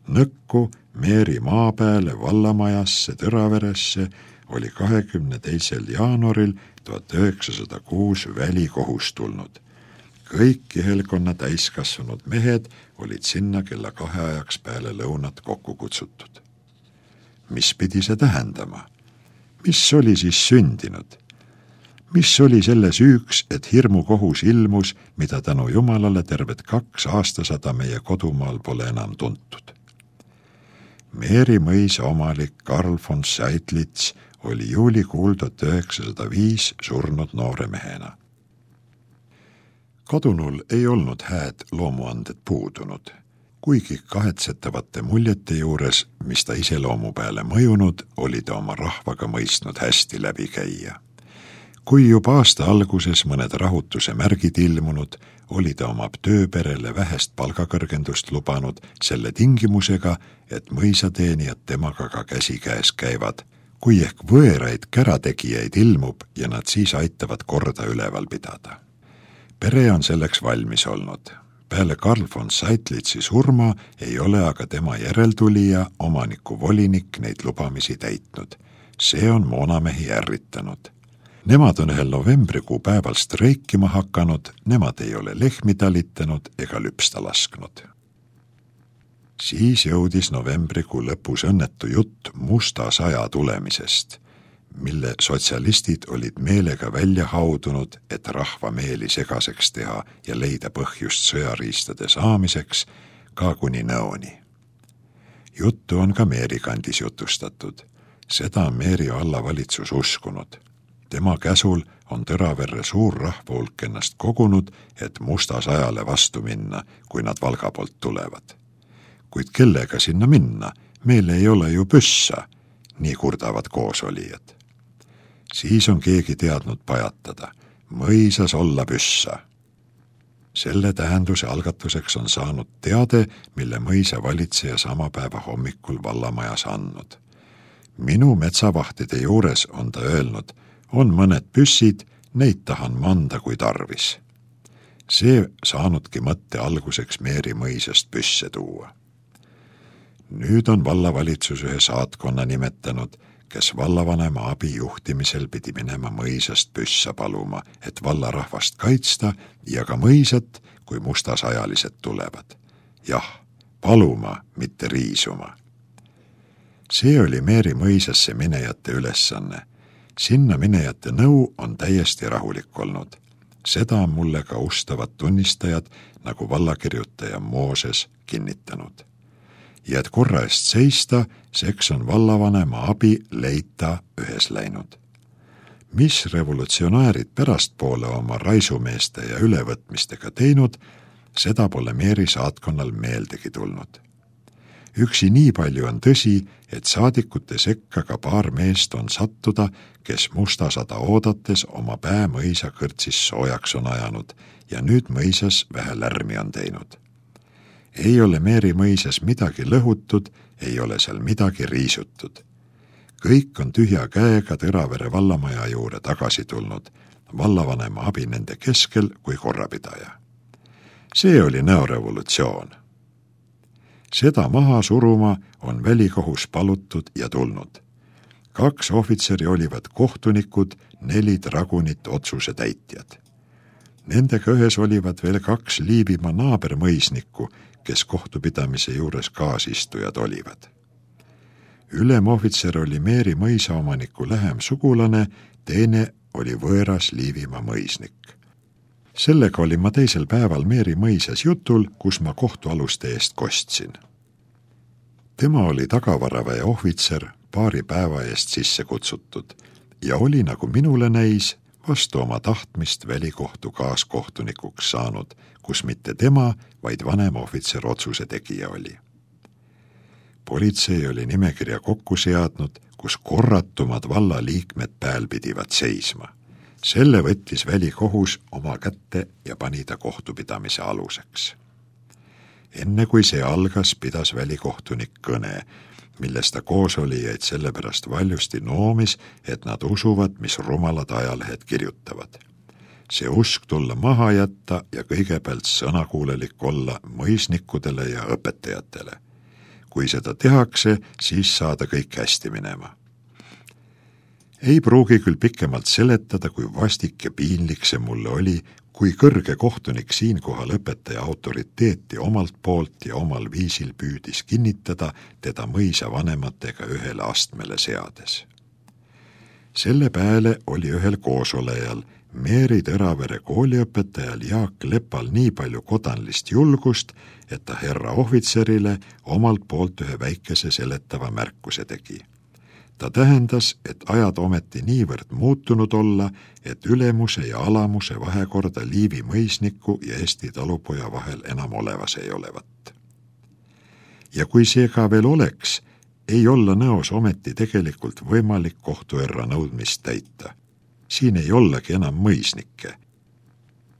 Nõkku Meeri maapääle vallamajasse Tõraveresse oli 22. jaanuaril 1906 välikohus tulnud. Kõik kihelkonna täiskasvanud mehed olid sinna kella 2 ajaks peale lõunat kokku kutsutud. Mis pidi see tähendama? Mis oli siis sündinud? Mis oli selle süüks, et hirmukohus ilmus, mida tänu Jumalale terved 2 aastasada meie kodumaal pole enam tuntud? Meeri mõisa omalik Karl von Seydlitz oli juulikuul 1905 surnud noore mehena. Kadunul ei olnud hääd loomuanded puudunud, kuigi kahetsetavate muljete juures, mis ta iseloomu peale mõjunud, oli ta oma rahvaga mõistnud hästi läbi käia. Kui juba aasta alguses mõned rahutuse märgid ilmunud, oli ta oma tööperele vähest palgakõrgendust lubanud selle tingimusega, et mõisateenijad temaga ka käsikäes käivad, kui ehk võõraid kärategijaid ilmub ja nad siis aitavad korda üleval pidada. Pere on selleks valmis olnud. Peale Karl von Seydlitzi surma ei ole aga tema järeltulija, omaniku volinik, neid lubamisi täitnud. See on moonamehi ärritanud. Nemad on ühel novembrikuu päeval streikima hakanud, nemad ei ole lehmi talitanud ega lüpsta lasknud. Siis jõudis novembrikuu lõpus õnnetu jutt musta saja tulemisest, mille sotsialistid olid meelega välja haudunud, et rahva meeli segaseks teha ja leida põhjust sõjariistade saamiseks, ka kuni nõoni. Juttu on ka Meeri kandis jutustatud. Seda on Meeri vallavalitsus uskunud. Tema käsul on Tõraverre suur rahvahulk ennast kogunud, et musta sajale vastu minna, kui nad Valga poolt tulevad. Kuid kellega sinna minna? Meil ei ole ju püssa, nii kurdavad koosolijad. Siis on keegi teadnud pajatada. Mõisas olla püssa. Selle tähenduse algatuseks on saanud teade, mille mõisa valitseja sama päeva hommikul vallamajas andnud. Minu metsavahtide juures on ta öelnud, on mõned püssid, neid tahan manda kui tarvis. See saanudki mõtte alguseks Meeri mõisast püsse tuua. Nüüd on vallavalitsus ühe saatkonna nimetanud, kes vallavanema abi juhtimisel pidi minema mõisast püssa paluma, et vallarahvast kaitsta ja ka mõisat, kui mustasajalised tulevad. Jah, paluma, mitte riisuma. See oli Meeri mõisasse minejate ülesanne. Sinna minejate nõu on täiesti rahulik olnud. Seda on mulle ka ustavad tunnistajad, nagu vallakirjutaja Mooses kinnitanud. Ja et korra eest seista, seks on vallavanema abi leita ühes läinud. Mis revolutsionäärid pärastpoole oma raisumeeste ja ülevõtmistega teinud, seda pole Meeri saatkonnal meeldegi tulnud. Üksi nii palju on tõsi, et saadikute sekka ka paar meest on sattuda, kes mustasada oodates oma pää mõisa kõrtsis soojaks on ajanud ja nüüd mõisas vähe lärmi on teinud. Ei ole Meeri mõisas midagi lõhutud, ei ole seal midagi riisutud. Kõik on tühja käega Tõravere vallamaja juurde tagasi tulnud, vallavanema abi nende keskel kui korrapidaja. See oli näorevolutsioon. Seda maha suruma on välikohus palutud ja tulnud. 2 ohvitseri olivad kohtunikud, 4 dragunit otsuse täitjad. Nendega ühes olivad veel 2 Liivimaa naabermõisnikku, kes kohtupidamise juures kaasistujad olivad. Ülemohvitser oli Meeri mõisaomaniku lähem sugulane, teine oli võõras Liivimaa mõisnik. Sellega olin ma teisel päeval Meeri mõisas jutul, kus ma kohtualuste eest kostsin. Tema oli tagavaraväe ohvitser, paari päeva eest sisse kutsutud ja oli, nagu minule näis, vastu oma tahtmist välikohtu kaaskohtunikuks saanud, kus mitte tema, vaid vanem ohvitser otsuse tegija oli. Politsei oli nimekirja kokku seadnud, kus korratumad vallaliikmed pääl pidivad seisma. Selle võttis välikohus oma kätte ja pani ta kohtupidamise aluseks. Enne kui see algas, pidas välikohtunik kõne, milles ta koosolijaid sellepärast valjusti noomis, et nad usuvad, mis rumalad ajalehed kirjutavad. See usk tulla maha jätta ja kõigepealt sõnakuulelik olla mõisnikudele ja õpetajatele. kui seda tehakse, siis saada kõik hästi minema. Ei pruugi küll pikemalt seletada, kui vastik ja piinlik see mulle oli, kui kõrge kohtunik siinkohal õpetaja autoriteeti omalt poolt ja omal viisil püüdis kinnitada teda mõisa vanematega ühele astmele seades. Selle pääle oli ühel koosolejal Meeri Tõravere kooliõpetajal Jaak Lepal nii palju kodanlist julgust, et ta herra ohvitserile omalt poolt ühe väikese seletava märkuse tegi. Ta tähendas, et ajad ometi niivõrd muutunud olla, et ülemuse ja alamuse vahekorda Liivi mõisniku ja Eesti talupoja vahel enam olevas ei olevat. Ja kui see ka veel oleks, ei olla nõos ometi tegelikult võimalik kohtuerra nõudmist täita. Siin ei ollagi enam mõisnikke.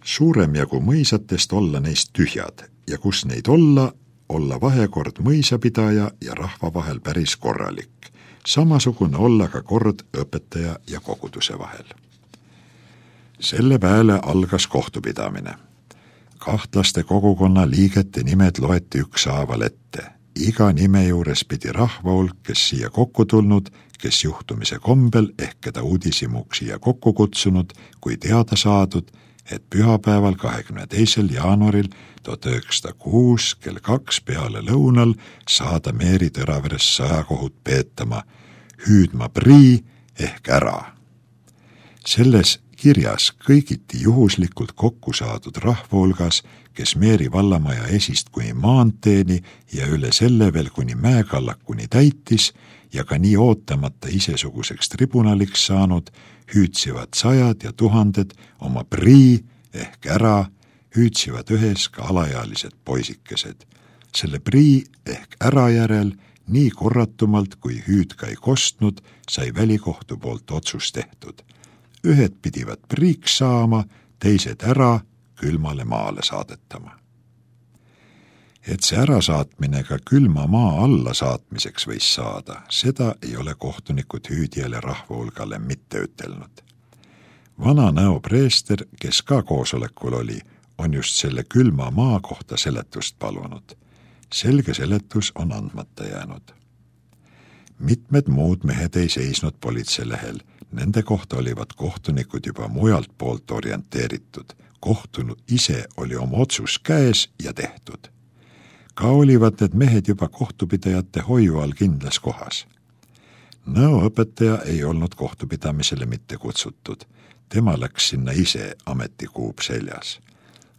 Suurem jagu mõisatest olla neist tühjad ja kus neid olla vahekord mõisapidaja ja rahva vahel päris korralik. Samasugune olla ka kord õpetaja ja koguduse vahel. Selle pääle algas kohtupidamine. Kahtlaste kogukonna liigete nimed loeti ükshaaval ette. Iga nime juures pidi rahva hulk, kes siia kokku tulnud, kes juhtumise kombel ehk keda uudisimuks siia kokku kutsunud, kui teada saadud, et pühapäeval 22. jaanuaril 1906 kell 2 peale lõunal saada Meeri Tõraveres sõjakohut peetama, hüüdma prii ehk ära. Selles kirjas kõigiti juhuslikult kokku saadud rahva hulgas, kes Meeri vallamaja esist kuni maanteeni ja üle selle veel kuni mäekallakuni täitis ja ka nii ootamata isesuguseks tribunaliks saanud, hüüdsivad sajad ja tuhanded oma prii ehk ära, hüüdsivad ühes ka alaealised poisikesed. Selle prii ehk ära järel nii korratumalt, kui hüüd ka ei kostnud, sai välikohtu poolt otsus tehtud. Ühed pidivad priiks saama, teised ära külmale maale saadetama. Et see ärasaatmine ka külma maa alla saatmiseks võis saada, seda ei ole kohtunikud hüüdjale rahva hulgale mitte ütelnud. Vana Nõo preester, kes ka koosolekul oli, on just selle külma maa kohta seletust palunud. Selge seletus on andmata jäänud. Mitmed muud mehed ei seisnud politseilehel, nende kohta olivad kohtunikud juba mujalt poolt orienteeritud. Kohtunud ise oli oma otsus käes ja tehtud. Ka olivad need mehed juba kohtupidajate hoiu all kindlas kohas. Nõo õpetaja ei olnud kohtupidamisele mitte kutsutud. Tema läks sinna ise ametikuub seljas.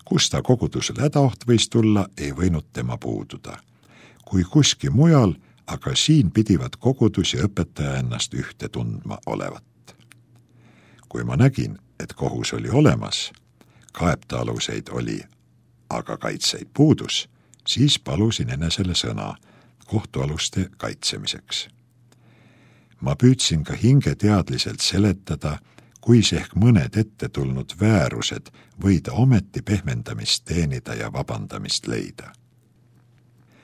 Kus ta kogudusel hädaoht võis tulla, ei võinud tema puududa. Kui kuski mujal, aga siin pidivad kogudus ja õpetaja ennast ühte tundma olevat. Kui ma nägin, et kohus oli olemas, kaebtaaluseid oli, aga kaitseid puudus, siis palusin enesele sõna kohtualuste kaitsemiseks. Ma püüdsin ka hingeteadliselt seletada, kuis ehk mõned ette tulnud väärused võida ometi pehmendamist teenida ja vabandamist leida.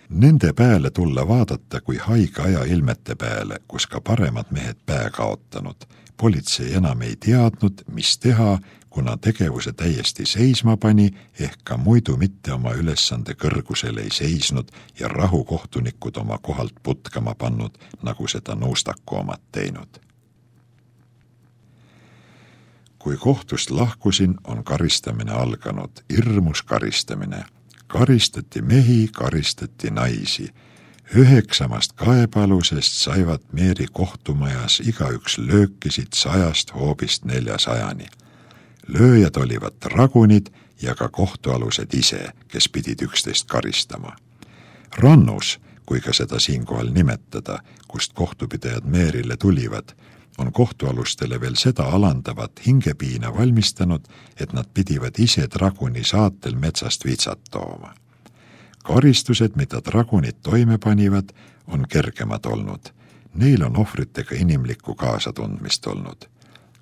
Nende pääle tulla vaadata kui haige aja ilmete pääle, kus ka paremad mehed pää kaotanud. Politsei enam ei teadnud, mis teha, kuna tegevuse täiesti seisma pani, ehk ka muidu mitte oma ülesande kõrgusel ei seisnud ja rahukohtunikud oma kohalt putkama pannud, nagu seda Nuustaku omad teinud. Kui kohtust lahkusin, on karistamine alganud, hirmus karistamine. Karistati mehi, karistati naisi. 9 kaebalusest saivad Meeri kohtumajas igaüks löökisid 100 hoobist 400. Lööjad olivad dragunid ja ka kohtualused ise, kes pidid üksteist karistama. Rannus, kui ka seda siinkohal nimetada, kust kohtupidajad Meerile tulivad, on kohtualustele veel seda alandavat hingepiina valmistanud, et nad pidivad ise draguni saatel metsast vitsat tooma. Karistused, mida dragunid toime panivad, on kergemad olnud. Neil on ohvritega inimlikku kaasatundmist olnud.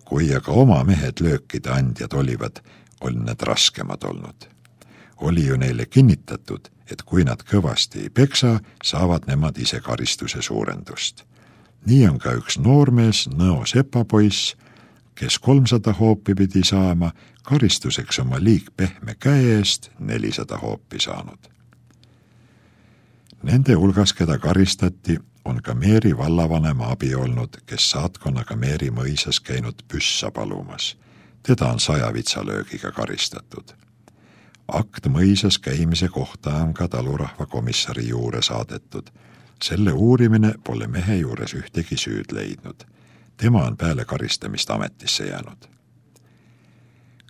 Kui aga oma mehed löökide andjad olivad, on need raskemad olnud. Oli ju neile kinnitatud, et kui nad kõvasti ei peksa, saavad nemad ise karistuse suurendust. Nii on ka üks noormees, Nõo sepapoiss, kes 300 hoopi pidi saama, karistuseks oma liig pehme käe eest 400 hoopi saanud. Nende hulgas, keda karistati, on ka Meeri vallavanema abi olnud, kes saatkonnaga Meeri mõisas käinud püssa palumas. Teda on 100 vitsalöögiga karistatud. Akt mõisas käimise kohta on ka talurahva komissari juurde saadetud. Selle uurimine pole mehe juures ühtegi süüd leidnud. Tema on peale karistamist ametisse jäänud.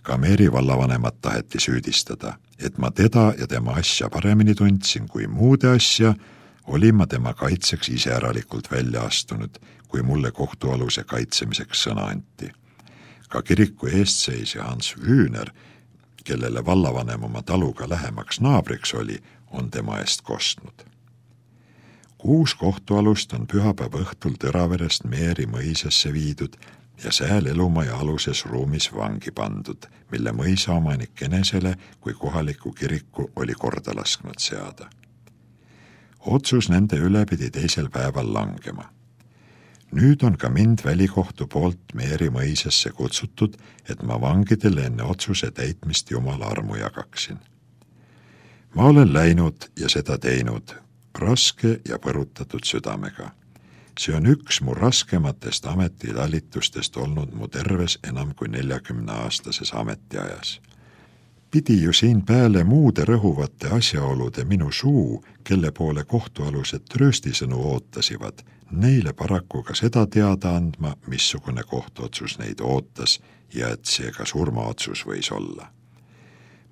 Ka Meeri vallavanemat taheti süüdistada, et ma teda ja tema asja paremini tundsin kui muude asja, olin ma tema kaitseks iseäralikult välja astunud, kui mulle kohtualuse kaitsemiseks sõna anti. Ka kiriku eestseisja Hans Wühner, kellele vallavanem oma taluga lähemaks naabriks oli, on tema eest kostnud. 6 kohtualust on pühapäeva õhtul Tõraverest Meeri mõisasse viidud ja sääl elumaja aluses ruumis vangi pandud, mille mõisa omanik enesele kui kohaliku kiriku oli korda lasknud seada. Otsus nende üle pidi 2. päeval langema. Nüüd on ka mind välikohtu poolt Meeri mõisasse kutsutud, et ma vangidele enne otsuse täitmist Jumala armu jagaksin. Ma olen läinud ja seda teinud, raske ja põrutatud südamega. See on üks mu raskematest ametitalitustest olnud mu terves enam kui 40-aastases ametiajas. Pidi ju siin peale muude rõhuvate asjaolude minu suu, kelle poole kohtualused trööstisõnu ootasivad, neile paraku ka seda teada andma, missugune kohtuotsus neid ootas ja et see ka surmaotsus võis olla.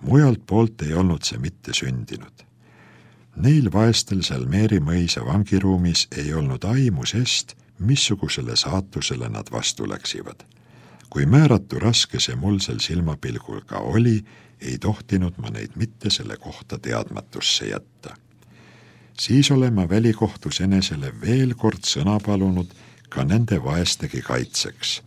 Mujalt poolt ei olnud see mitte sündinud. Neil vaestel seal Meeri mõisa vangiruumis ei olnud aimu sest, missugusele saatusele nad vastu läksivad. Kui määratu raske see mul sel silmapilgul ka oli, ei tohtinud ma neid mitte selle kohta teadmatusse jätta. Siis olen ma välikohtus enesele veel kord sõna palunud ka nende vaestegi kaitseks.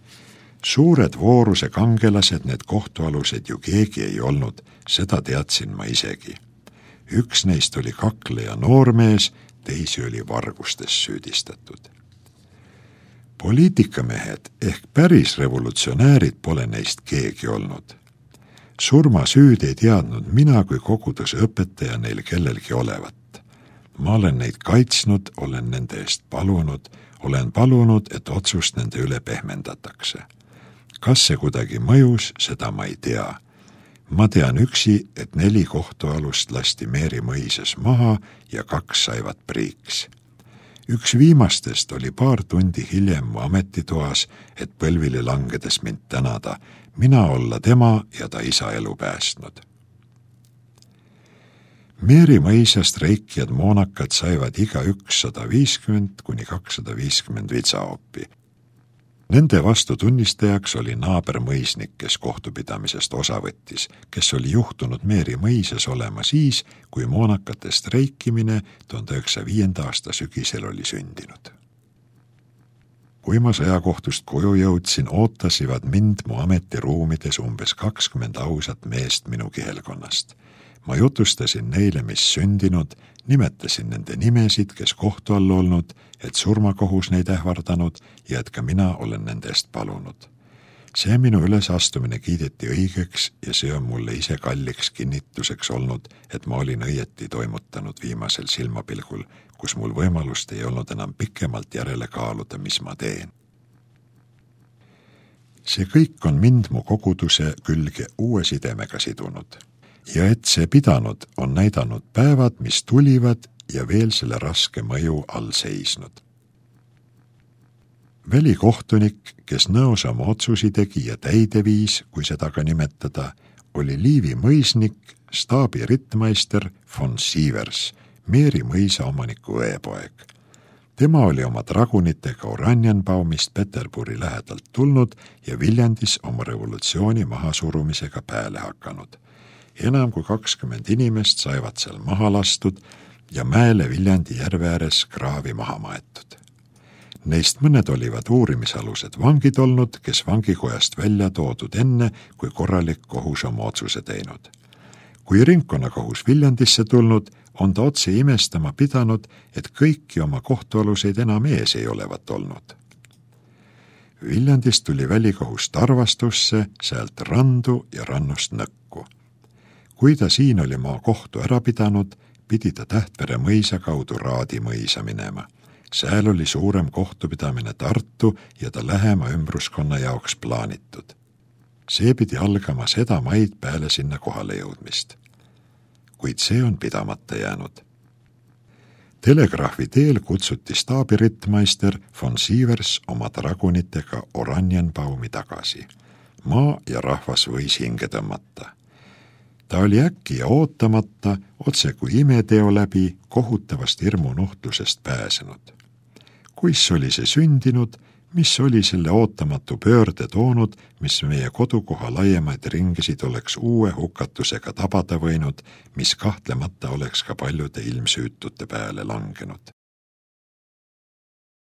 Suured vooruse kangelased need kohtualused ju keegi ei olnud, seda teadsin ma isegi. Üks neist oli kakleja noormees, teisi oli vargustes süüdistatud. Poliitikamehed ehk päris revolutsionäärid pole neist keegi olnud. Surmasüüd ei teadnud mina kui koguduse õpetaja neil kellelgi olevat. Ma olen neid kaitsnud, olen nende eest palunud, olen palunud, et otsust nende üle pehmendatakse. Kas see kuidagi mõjus, seda ma ei tea. Ma tean üksi, et 4 kohtualust lasti Meeri mõisas maha ja 2 saivad priiks. Üks viimastest oli paar tundi hiljem mu ametitoas, et põlvili langedes mind tänada, mina olla tema ja ta isa elu päästnud. Meeri mõisast reikijad moonakad saivad igaüks 150 kuni 250 vitsaoppi. Nende vastu tunnistajaks oli naabermõisnik, kes kohtupidamisest osa võttis, kes oli juhtunud Meeri mõisas olema siis, kui moonakatest reikimine 1905. aasta sügisel oli sündinud. Kui ma sõjakohtust koju jõudsin, ootasivad mind mu ametiruumides umbes 20 ausat meest minu kihelkonnast. Ma jutustasin neile, mis sündinud, nimetasin nende nimesid, kes kohtu all olnud, et surmakohus neid ähvardanud ja et ka mina olen nende eest palunud. See minu ülesastumine kiideti õigeks ja see on mulle ise kalliks kinnituseks olnud, et ma olin õieti toimutanud viimasel silmapilgul, kus mul võimalust ei olnud enam pikemalt järele kaaluda, mis ma teen. See kõik on mind mu koguduse külge uue sidemega sidunud. Ja et see pidanud on näidanud päevad, mis tulivad ja veel selle raske mõju all seisnud. Välikohtunik, kes nõos oma otsusi tegi ja täide viis, kui seda ka nimetada, oli Liivi mõisnik, staabi rittmeister von Sievers, Meeri mõisa omaniku õepoeg. Tema oli oma dragunitega Oranienbaumist Peterburi lähedalt tulnud ja Viljandis oma revolutsiooni mahasurumisega pääle hakanud. Enam kui 20 inimest saivad seal maha lastud ja mäele Viljandi järve ääres kraavi maha maetud. Neist mõned olivad uurimisalused vangid olnud, kes vangikojast välja toodud enne, kui korralik kohus oma otsuse teinud. Kui ringkonnakohus Viljandisse tulnud, on ta otse imestama pidanud, et kõiki oma kohtualuseid enam ees ei olevat olnud. Viljandist tuli välikohus Tarvastusse, sealt randu ja rannust nõkku. Kui ta siin oli maa kohtu ära pidanud, pidi ta Tähtvere mõisa kaudu Raadi mõisa minema. Sääl oli suurem kohtupidamine Tartu ja ta lähema ümbruskonna jaoks plaanitud. See pidi algama seda maid peale sinna kohale jõudmist. Kuid see on pidamata jäänud. Telegraafi teel kutsuti staabirittmeister von Sievers oma dragunitega Oranjenbaumi tagasi. Maa ja rahvas võis hinge tõmmata. Ta oli äkki ja ootamata, otse kui imeteo läbi, kohutavast hirmunuhtlusest pääsenud. Kuis oli see sündinud, mis oli selle ootamatu pöörde toonud, mis meie kodukoha laiemaid ringisid oleks uue hukatusega tabada võinud, mis kahtlemata oleks ka paljude ilmsüütute peale langenud.